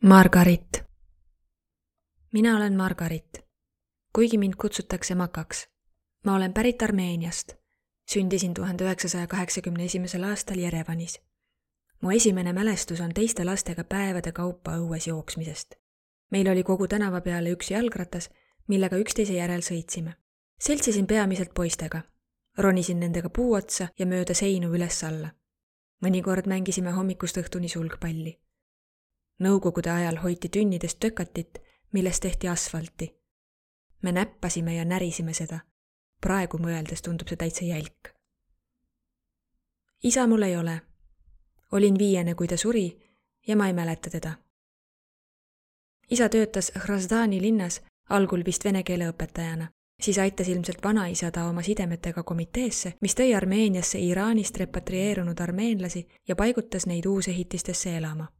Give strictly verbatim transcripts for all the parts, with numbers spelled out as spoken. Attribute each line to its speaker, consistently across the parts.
Speaker 1: Margarit. Mina olen Margarit, kuigi mind kutsutakse Makaks. Ma olen pärit Armeeniast. Sündisin tuhande üheksasaja kaheksakümne esimesel aastal Jerevanis. Mu esimene mälestus on teiste lastega päevade kaupa õues jooksmisest. Meil oli kogu tänava peale üks jalgratas, millega üksteise järel sõitsime. Seltsisin peamiselt poistega. Ronisin nendega puu otsa ja mööda seinu üles alla. Mõnikord mängisime hommikust õhtuni sulgpalli. Nõukogude ajal hoiti tünnidest tökatit, millest tehti asfalti. Me näppasime ja närisime seda. Praegu mõeldes tundub see täitsa jälk. Isa mul ei ole. Olin viiene, kui ta suri ja ma ei mäleta teda. Isa töötas Hrazdani linnas, algul vist vene keele õpetajana. Siis aitas ilmselt vanaisa ta oma sidemetega komiteesse, mis tõi Armeeniasse Iraanist repatrieerunud armeenlasi ja paigutas neid uusehitistesse elama.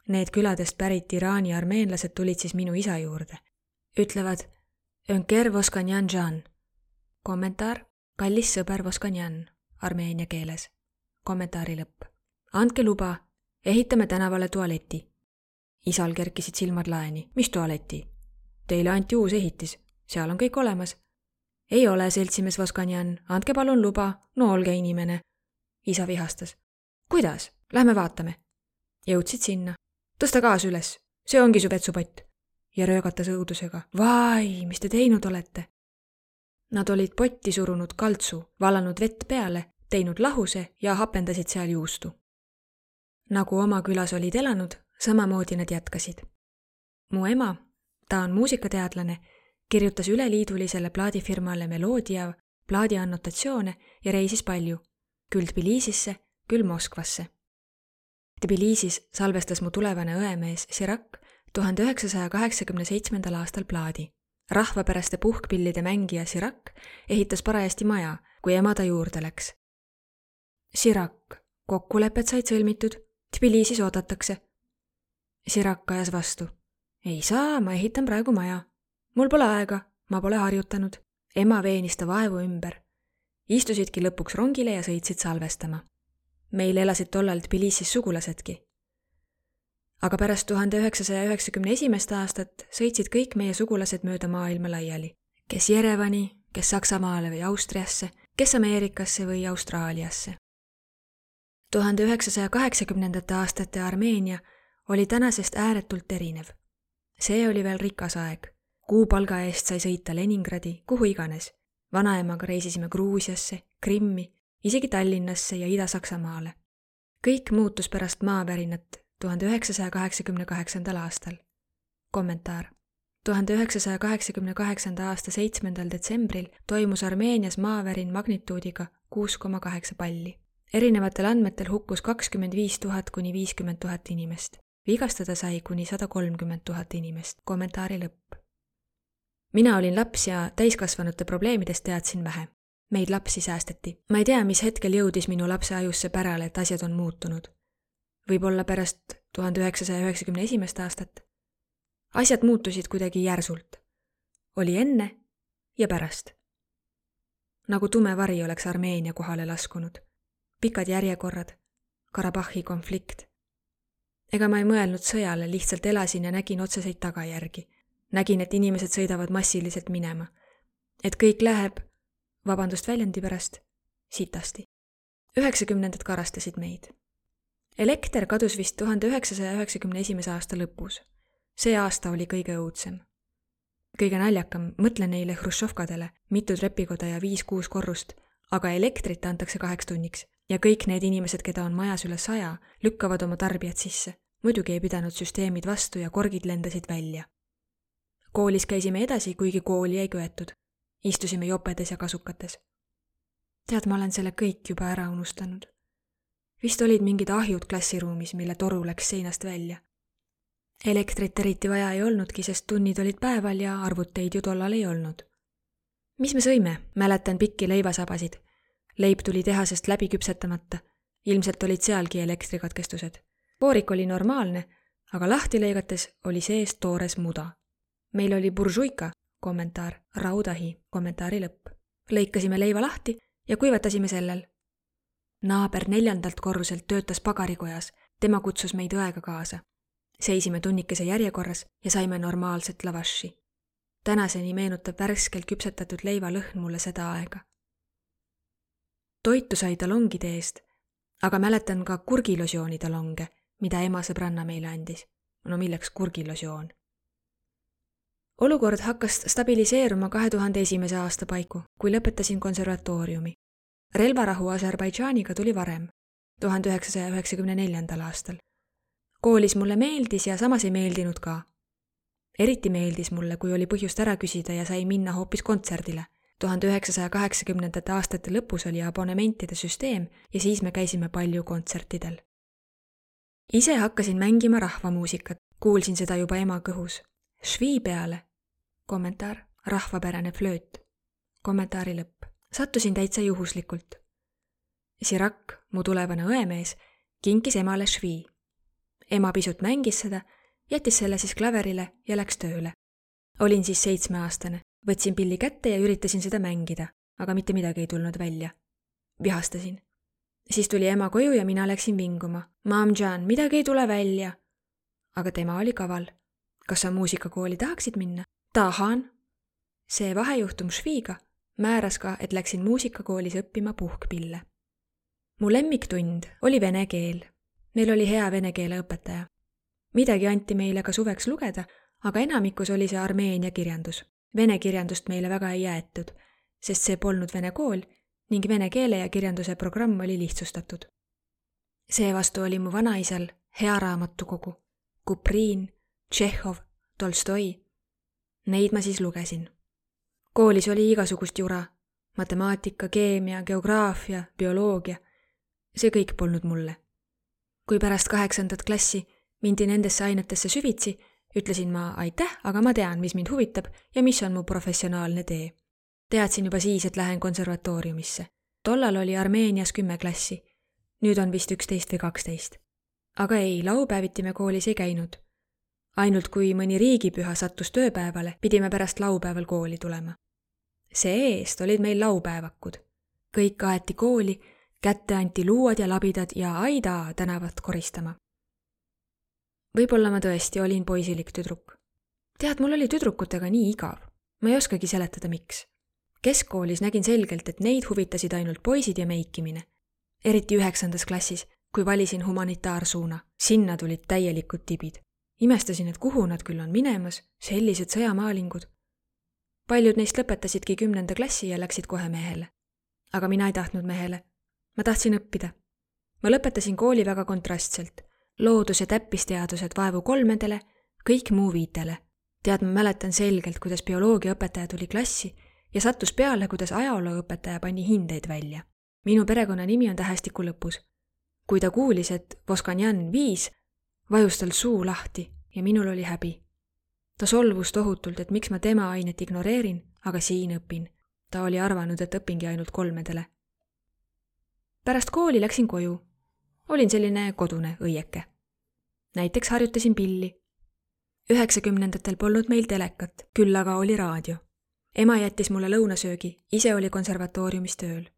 Speaker 1: Need küladest pärit Iraani armeenlased tulid siis minu isa juurde. Ütlevad, Önker Voskanjan Jan. Kommentaar, kallis sõber Voskanjan, armeenia keeles. Kommentaari lõpp. Andke luba, ehitame tänavale tualeti. Isal kerkisid silmad laeni. Mis tualeti? Teile anti uus ehitis. Seal on kõik olemas. Ei ole, seltsimees Voskanjan. Andke palun luba. No olge inimene. Isa vihastas. Kuidas? Lähme vaatame. Jõudsid sinna. Tõsta gaas üles. See ongi su vetsupott. Ja röögatas õudusega. Vai, mis te teinud olete? Nad olid potti surunud kaltsu, valanud vett peale, teinud lahuse ja hapendasid seal juustu. Nagu oma külas olid elanud, samamoodi nad jätkasid. Mu ema, ta on muusikateadlane, kirjutas üleliidulisele plaadifirmale Meloodia plaadi annotatsioone ja reisis palju, küll Tbilisisse, küll Moskvasse. Tbilisis salvestas mu tulevane õemees Sirak tuhande üheksasaja kaheksakümne seitsmendal aastal plaadi. Rahvapäraste puhkpillide mängija Sirak ehitas parajasti maja, kui ema ta juurde läks. Sirak, kokkulepped said sõlmitud, Tbilisis oodatakse. Sirak ajas vastu. Ei saa, ma ehitan praegu maja. Mul pole aega, ma pole harjutanud. Ema veenis ta vaevu ümber. Istusidki lõpuks rongile ja sõitsid salvestama. Meil elasid tollal Tbilisis sugulasedki. Aga pärast tuhande üheksasaja üheksakümne esimest aastat sõitsid kõik meie sugulased mööda maailma laiali. Kes Jerevani, kes Saksamaale või Austriasse, kes Ameerikasse või Austraaliasse. tuhande üheksasaja kaheksakümnendate aastate Armeenia oli tänasest ääretult erinev. See oli veel rikas aeg. Kuupalga eest sai sõita Leningradi, kuhu iganes. Vanaemaga reisisime Gruusiasse, Krimmi, isegi Tallinnasse ja Ida-Saksamaale. Kõik muutus pärast maavärinat tuhande üheksasaja kaheksakümne kaheksandal aastal. Kommentaar. tuhande üheksasaja kaheksakümne kaheksanda aasta seitsmendal detsembril toimus Armeenias maavärin magnituudiga kuus koma kaheksa palli. Erinevatel andmetel hukkus kakskümmend viis tuhat kuni viiskümmend tuhat inimest. Vigastada sai kuni sada kolmkümmend tuhat inimest. Kommentaari lõpp. Mina olin laps ja täiskasvanute probleemidest teadsin vähe. Meid lapsi säästeti. Ma ei tea, mis hetkel jõudis minu lapse ajusse pärale, et asjad on muutunud. Võib-olla pärast tuhande üheksasaja üheksakümne esimest aastat. Asjad muutusid kuidagi järsult. Oli enne ja pärast. Nagu tume vari oleks Armeenia kohale laskunud. Pikad järjekorrad, Karabahhi konflikt. Ega ma ei mõelnud sõjale, lihtsalt elasin ja nägin otseseid tagajärgi. Nägin, et inimesed sõidavad massiliselt minema. Et kõik läheb, vabandust väljendi pärast, sitasti. üheksakümnendad karastasid meid. Elekter kadus vist tuhande üheksasaja üheksakümne esimese aasta lõpus. See aasta oli kõige õudsem. Kõige naljakam, mõtle neile hrušovkadele, mitu trepikoda ja viis-kuus korrust, aga elektrit antakse kaheks tunniks. Ja kõik need inimesed, keda on majas üle saja, lükkavad oma tarbijad sisse. Muidugi ei pidanud süsteemid vastu ja korgid lendasid välja. Koolis käisime edasi, kuigi kooli ei köetud. Istusime jopedes ja kasukates. Tead, ma olen selle kõik juba ära unustanud. Vist olid mingid ahjud klassiruumis, mille toru läks seinast välja. Elektrit eriti vaja ei olnudki, sest tunnid olid päeval ja arvuteid ju tollal ei olnud. Mis me sõime? Mäletan pikki leivasabasid. Leib tuli tehasest läbi küpsetamata. Ilmselt olid sealgi elektrikatkestused. Poorik oli normaalne, aga lahti lõigates oli sees toores muda. Meil oli buržuika, kommentaar, raudahi, kommentaari lõpp. Lõikasime leiva lahti ja kuivatasime sellel. Naaber neljandalt korruselt töötas pagarikojas. Tema kutsus meid õega kaasa. seisime tunnikese järjekorras ja saime normaalset lavashi. Tänaseni meenutab värskelt küpsetatud leiva lõhn mulle seda aega. Toitu sai talongide eest, aga mäletan ka kurgilosiooni talonge, mida ema sõbranna meile andis. No milleks kurgilosioon? Olukord hakkas stabiliseeruma kahe tuhande esimese aasta paiku, kui lõpetasin konservatooriumi. Relvarahu Aserbaidžaaniga tuli varem, tuhande üheksasaja üheksakümne neljandal aastal. Koolis mulle meeldis ja samas ei meeldinud ka. Eriti meeldis mulle, kui oli põhjust ära küsida ja sai minna hoopis kontserdile. tuhande üheksasaja kaheksakümnendate aastate lõpus oli abonementide süsteem ja siis me käisime palju kontsertidel. Ise hakkasin mängima rahvamuusikat, kuulsin seda juba ema kõhus. Švii peale. Kommentaar, rahvapärane flööt. Kommentaari lõpp. Sattusin täitsa juhuslikult. Sirak, mu tulevane õemees, kinkis emale švii. Ema pisut mängis seda, jättis selle siis klaverile ja läks tööle. Olin siis seitsmeaastane, võtsin pilli kätte ja üritasin seda mängida, aga mitte midagi ei tulnud välja. Vihastasin. Siis tuli ema koju ja mina läksin vinguma. Maam Jan, midagi ei tule välja. Aga tema oli kaval. Kas sa muusikakooli tahaksid minna? Tahan. See vahejuhtum šviiga määras ka, et läksin muusikakoolis õppima puhkpille. Mu lemmiktund oli vene keel. Meil oli hea vene keele õpetaja. Midagi anti meile ka suveks lugeda, aga enamikus oli see Armeenia kirjandus. Vene kirjandust meile väga ei jäetud, sest see polnud vene kool ning vene keele ja kirjanduse programm oli lihtsustatud. Seevastu oli mu vanaisal hea raamatukogu. Kupriin, Tšehhov, Tolstoi. Neid ma siis lugesin. Koolis oli igasugust jura. Matemaatika, keemia, geograafia, bioloogia. See kõik polnud mulle. Kui pärast kaheksandat klassi mindi nendesse ainetesse süvitsi, ütlesin ma aitäh, aga ma tean, mis mind huvitab ja mis on mu professionaalne tee. Teadsin juba siis, et lähen konservatooriumisse. Tollal oli Armeenias kümme klassi. Nüüd on vist üksteist või kaksteist. Aga ei, laupäeviti me koolis ei käinud. Ainult kui mõni riigipüha sattus tööpäevale, pidime pärast laupäeval kooli tulema. See eest olid meil laupäevakud. Kõik aeti kooli, kätte anti luuad ja labidad ja aida tänavat koristama. Võib-olla ma tõesti olin poisilik tüdruk. Tead, mul oli tüdrukutega nii igav. Ma ei oskagi seletada, miks. Keskkoolis nägin selgelt, et neid huvitasid ainult poisid ja meikimine. Eriti üheksandas klassis, kui valisin humanitaarsuuna. Sinna tulid täielikud tibid. Imestasin, et kuhu nad küll on minemas, sellised sõjamaalingud. Paljud neist lõpetasidki kümnenda klassi ja läksid kohe mehele. Aga mina ei tahtnud mehele. Ma tahtsin õppida. Ma lõpetasin kooli väga kontrastselt. Loodus- ja täppisteadused vaevu kolmedele, kõik muu viitele. Tead, ma mäletan selgelt, kuidas bioloogiaõpetaja tuli klassi ja sattus peale, kuidas ajalooõpetaja pani hindeid välja. Minu perekonna nimi on tähestiku lõpus. Kui ta kuulis, et Voskanjan viis, vajus tal suu lahti ja minul oli häbi. Ta solvus tohutult, et miks ma tema ainet ignoreerin, aga siin õpin. Ta oli arvanud, et õpingi ainult kolmedele. Pärast kooli läksin koju. Olin selline kodune õieke. Näiteks harjutasin pilli. Üheksakümnendatel polnud meil telekat, küll aga oli raadio. Ema jättis mulle lõunasöögi, ise oli konservatooriumis tööl.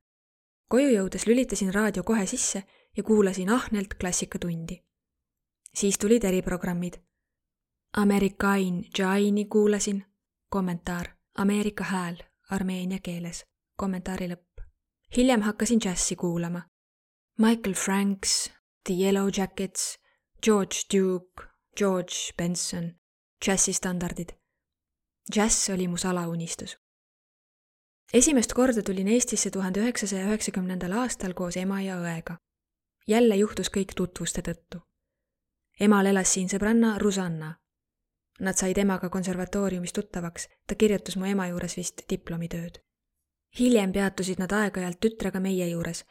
Speaker 1: Koju jõudes lülitasin raadio kohe sisse ja kuulasin ahnelt klassikatundi. Siis tulid eriprogrammid. Amerikain Jaini kuulasin, kommentaar, Ameerika hääl, armeenia keeles, kommentaari lõpp. Hiljem hakkasin džässi kuulama. Michael Franks, The Yellow Jackets, George Duke, George Benson, džässistandardid. Džäss oli mu salaunistus. Esimest korda tulin Eestisse tuhande üheksasaja üheksakümnendal aastal koos ema ja õega. Jälle juhtus kõik tutvuste tõttu. Emal elas siin sõbranna Rusanna. Nad said emaga konservatooriumis tuttavaks, ta kirjutas mu ema juures vist diplomitööd. Hiljem peatusid nad aeg-ajalt tütrega meie juures,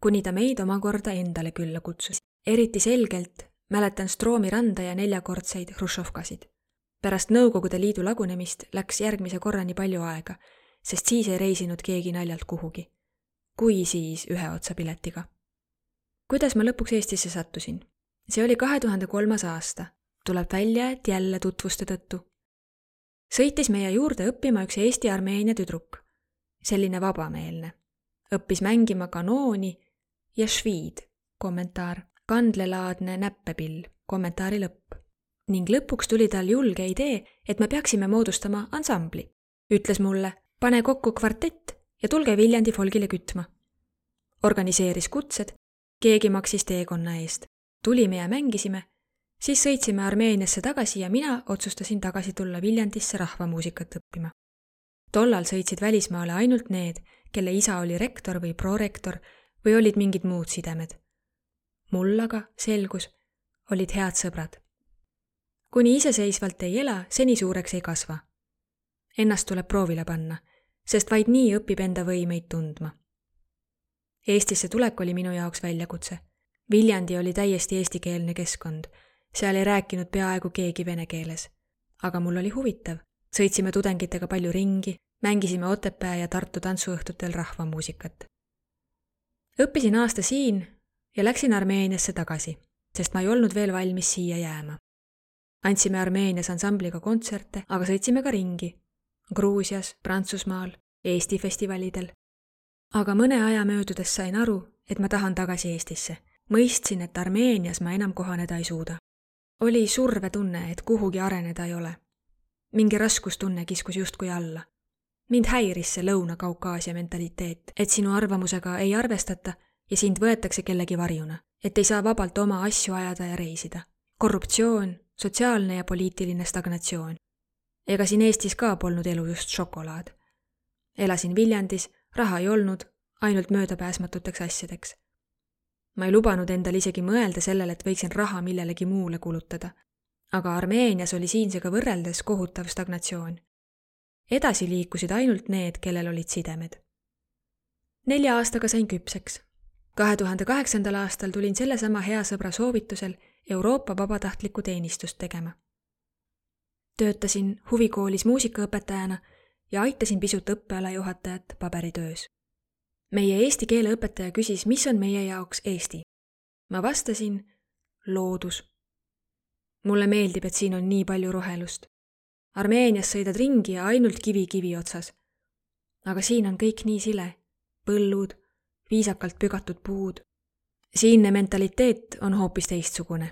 Speaker 1: kuni ta meid omakorda endale külla kutsus. Eriti selgelt mäletan Stroomi randa ja neljakordseid hrušovkasid. Pärast Nõukogude Liidu lagunemist läks järgmise korrani palju aega, sest siis ei reisinud keegi naljalt kuhugi. Kui siis ühe otsa piletiga. Kuidas ma lõpuks Eestisse sattusin? See oli kahe tuhande kolmas aasta. Tuleb välja, et jälle tutvuste tõttu. Sõitis meie juurde õppima üks Eesti Armeenia tüdruk. Selline vabameelne. Õppis mängima kanooni ja šviid, kommentaar, kandlelaadne näppepill, kommentaari lõpp. ning lõpuks tuli tal julge idee, et me peaksime moodustama ansambli. Ütles mulle, pane kokku kvartett ja tulge Viljandi folgile kütma. Organiseeris kutsed, keegi maksis teekonna eest. Tulime ja mängisime, siis sõitsime Armeeniasse tagasi ja mina otsustasin tagasi tulla Viljandisse rahvamuusikat õppima. Tollal sõitsid välismaale ainult need, kelle isa oli rektor või prorektor või olid mingid muud sidemed. Mul aga, selgus, olid head sõbrad. Kuni iseseisvalt ei ela, seni suureks ei kasva. Ennast tuleb proovile panna, sest vaid nii õpib enda võimeid tundma. Eestisse tulek oli minu jaoks väljakutse. Viljandi oli täiesti eestikeelne keskkond. Seal ei rääkinud peaaegu keegi vene keeles. Aga mul oli huvitav. Sõitsime tudengitega palju ringi, mängisime Otepää ja Tartu tantsuõhtutel rahvamuusikat. Õppisin aasta siin ja läksin Armeeniasse tagasi, sest ma ei olnud veel valmis siia jääma. Andsime Armeenias ansambliga kontserte, aga sõitsime ka ringi. Gruusias, Prantsusmaal, Eesti festivalidel. Aga mõne aja möödudes sain aru, et ma tahan tagasi Eestisse. Mõistsin, et Armeenias ma enam kohaneda ei suuda. Oli survetunne, et kuhugi areneda ei ole. Mingi raskustunne kiskus justkui alla. Mind häiris see Lõuna-Kaukaasia mentaliteet, et sinu arvamusega ei arvestata ja sind võetakse kellegi varjuna, et ei saa vabalt oma asju ajada ja reisida. Korruptsioon, sotsiaalne ja poliitiline stagnatsioon. Ega siin Eestis ka polnud elu just šokolaad. Elasin Viljandis, raha ei olnud, ainult möödapääsmatuteks asjadeks. Ma ei lubanud endal isegi mõelda sellele, et võiksin raha millelegi muule kulutada. Aga Armeenias oli siinsega võrreldes kohutav stagnatsioon. Edasi liikusid ainult need, kellel olid sidemed. Nelja aastaga sain küpseks. kahe tuhande kaheksandal aastal tulin sellesama hea sõbra soovitusel Euroopa vabatahtlikku teenistust tegema. Töötasin huvikoolis muusikaõpetajana ja aitasin pisut õppealajuhatajat paberitöös. Meie eesti keele õpetaja küsis, mis on meie jaoks Eesti. Ma vastasin, loodus. Mulle meeldib, et siin on nii palju rohelust. Armeenias sõidad ringi ja ainult kivi kivi otsas. Aga siin on kõik nii sile. Põllud, viisakalt pügatud puud. Siinne mentaliteet on hoopis teistsugune.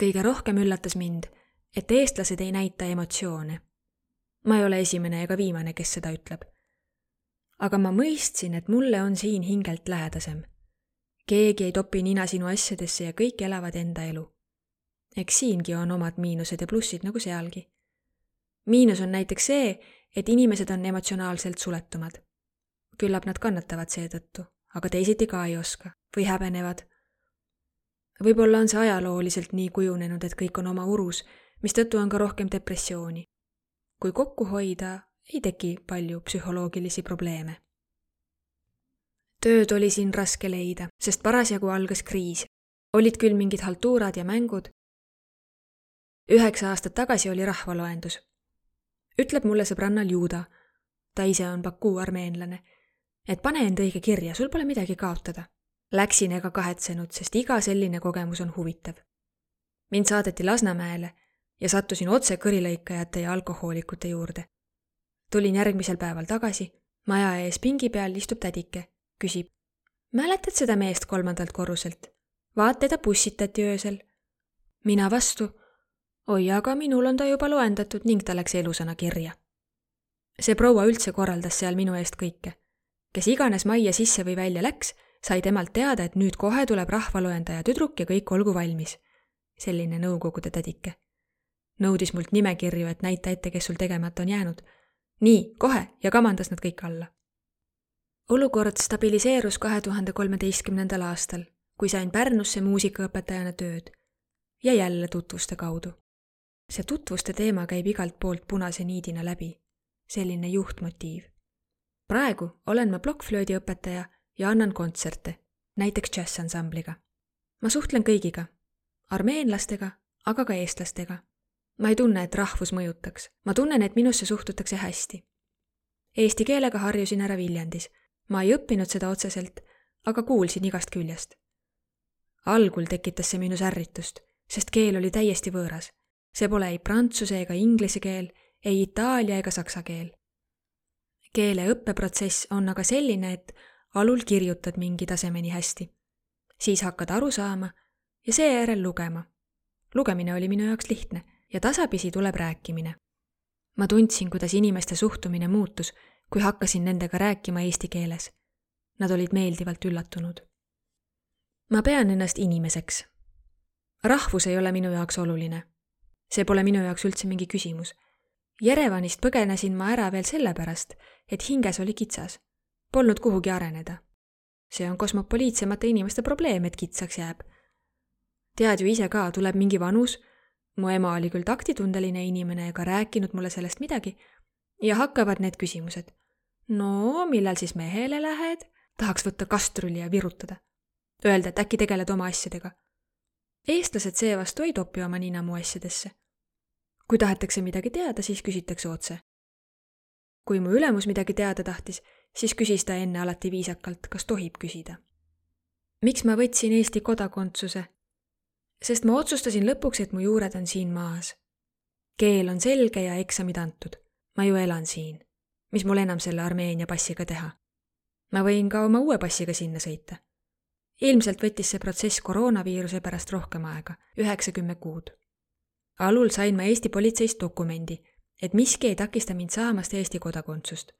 Speaker 1: Kõige rohkem üllatas mind, et eestlased ei näita emotsioone. Ma ei ole esimene ega viimane, kes seda ütleb. Aga ma mõistsin, et mulle on siin hingelt lähedasem. Keegi ei topi nina sinu asjadesse ja kõik elavad enda elu. Eks siingi on omad miinused ja plussid nagu sealgi. Miinus on näiteks see, et inimesed on emotsionaalselt suletumad. Küllap nad kannatavad seetõttu, aga teisiti ka ei oska või häbenevad. Võib-olla on see ajalooliselt nii kujunenud, et kõik on oma urus, mistõttu on ka rohkem depressiooni. Kui kokku hoida, ei teki palju psühholoogilisi probleeme. Tööd oli siin raske leida, sest parasjagu algas kriis. Olid küll mingid haltuurad ja mängud. Üheksa aastat tagasi oli rahvaloendus. Ütleb mulle sõbrannal Juuda, ta ise on Baku armeenlane, et pane end õige kirja, sul pole midagi kaotada. Läksin ega kahetsenud, sest iga selline kogemus on huvitav. Mind saadeti Lasnamäele ja sattusin otse kõrilõikajate ja alkohoolikute juurde. Tulin järgmisel päeval tagasi, maja ees pingi peal istub tädike, küsib, mäletad seda meest kolmandalt korruselt? Vaat teda bussitati öösel. Mina vastu, oi, aga minul on ta juba loendatud ning ta läks elusana kirja. See proua üldse korraldas seal minu eest kõike. Kes iganes majja sisse või välja läks, sai temalt teada, et nüüd kohe tuleb rahvaloendaja tüdruk ja kõik olgu valmis. Selline nõukogude tädike. Nõudis mult nimekirju, et näita ette, kes sul tegemata on jäänud. Nii, kohe ja kamandas nad kõik alla. Olukord stabiliseerus kahe tuhande kolmeteistkümnendal aastal, kui sain Pärnusse muusikaõpetajana tööd ja jälle tutvuste kaudu. See tutvuste teema käib igalt poolt punase niidina läbi. Selline juhtmotiiv. Praegu olen ma plokkflöödiõpetaja ja annan kontserte, näiteks džässansambliga. Ma suhtlen kõigiga, armeenlastega, aga ka eestlastega. Ma ei tunne, et rahvus mõjutaks. Ma tunnen, et minusse suhtutakse hästi. Eesti keelega harjusin ära Viljandis. Ma ei õppinud seda otseselt, aga kuulsin igast küljest. Algul tekitas see minus ärritust, sest keel oli täiesti võõras. See pole ei prantsuse ega inglise keel, ei itaalia ega saksa keel. Keele õppeprotsess on aga selline, et alul kirjutad mingi tasemeni hästi. Siis hakkad aru saama ja seejärel lugema. lugemine oli minu jaoks lihtne ja tasapisi tuleb rääkimine. Ma tundsin, kuidas inimeste suhtumine muutus, kui hakkasin nendega rääkima eesti keeles. Nad olid meeldivalt üllatunud. Ma pean ennast inimeseks. Rahvus ei ole minu jaoks oluline. See pole minu jaoks üldse mingi küsimus. Jerevanist põgenesin ma ära veel sellepärast, et hinges oli kitsas. Polnud kuhugi areneda. See on kosmopoliitsemate inimeste probleem, et kitsaks jääb. Tead ju ise ka, tuleb mingi vanus. Mu ema oli küll taktitundeline inimene ega rääkinud mulle sellest midagi ja hakkavad need küsimused. No, millal siis mehele lähed? Tahaks võtta kastruli ja virutada. Öelda, et äkki tegeled oma asjadega. Eestlased seevastu ei topi oma nina mu asjadesse. Kui tahetakse midagi teada, siis küsitakse otse. Kui mu ülemus midagi teada tahtis, siis küsis ta enne alati viisakalt, kas tohib küsida. Miks ma võtsin Eesti kodakondsuse? Sest ma otsustasin lõpuks, et mu juured on siin maas. Keel on selge ja eksamid antud. Ma ju elan siin. Mis mul enam selle Armeenia passiga teha? Ma võin ka oma uue passiga sinna sõita. Ilmselt võttis see protsess koroonaviiruse pärast rohkem aega, üheksakümmend kuud. Alul sain ma Eesti politseist dokumendi, et miski ei takista mind saamast Eesti kodakondsust.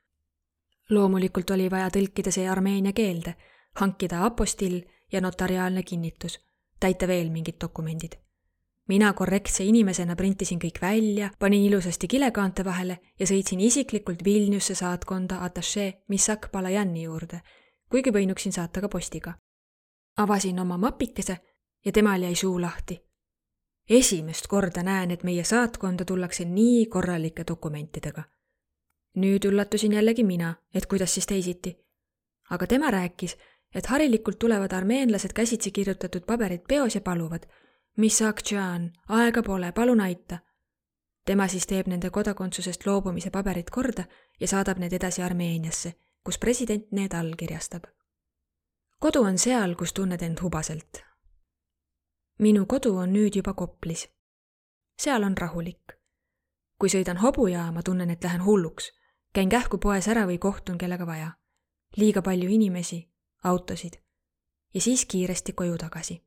Speaker 1: Loomulikult oli vaja tõlkida see armeenia keelde, hankida apostill ja notariaalne kinnitus, täita veel mingid dokumendid. Mina korrektse inimesena printisin kõik välja, panin ilusasti kilekaante vahele ja sõitsin isiklikult Vilniusse saatkonda atašee Misak Palajani juurde, kuigi võinuksin saata ka postiga. Avasin oma mapikese ja temal jäi suu lahti. Esimest korda näen, et meie saatkonda tullakse nii korralike dokumentidega. Nüüd üllatusin jällegi mina, et kuidas siis teisiti. Aga tema rääkis, et harilikult tulevad armeenlased käsitsi kirjutatud paberid peos ja paluvad, mis Akchaan, aega pole, palun aita. Tema siis teeb nende kodakondsusest loobumise paberid korda ja saadab need edasi Armeeniasse, kus president need allkirjastab. Kodu on seal, kus tunned end hubaselt. Minu kodu on nüüd juba Koplis. Seal on rahulik. Kui sõidan hobujaama, tunnen, et lähen hulluks. Käin kähku poes ära või kohtun kellega vaja. Liiga palju inimesi, autosid ja siis kiiresti koju tagasi.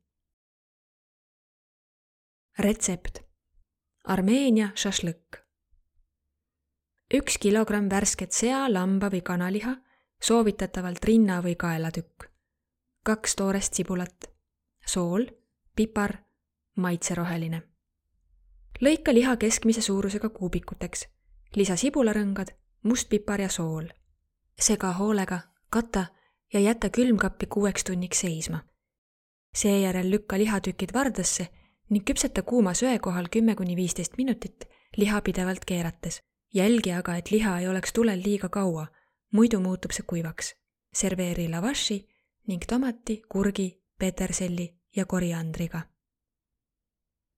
Speaker 1: Retsept. Armeenia šašlõkk. Üks kilogramm värsket sea, lamba või kanaliha, soovitatavalt rinna või kaelatükk. Kaks toorest sibulat. Sool, pipar, maitseroheline. Lõika liha keskmise suurusega kuubikuteks. Lisa sibularõngad, mustpipar ja sool. Sega hoolega, kata ja jäta külmkappi kuueks tunniks seisma. Seejärel lükka lihatükid vardasse ning küpseta kuuma söe kohal kümme kuni viisteist minutit liha pidevalt keerates. Jälgi aga, et liha ei oleks tulel liiga kaua, muidu muutub see kuivaks. Serveeri lavashi ning tomati, kurgi, peterselli ja koriandriga.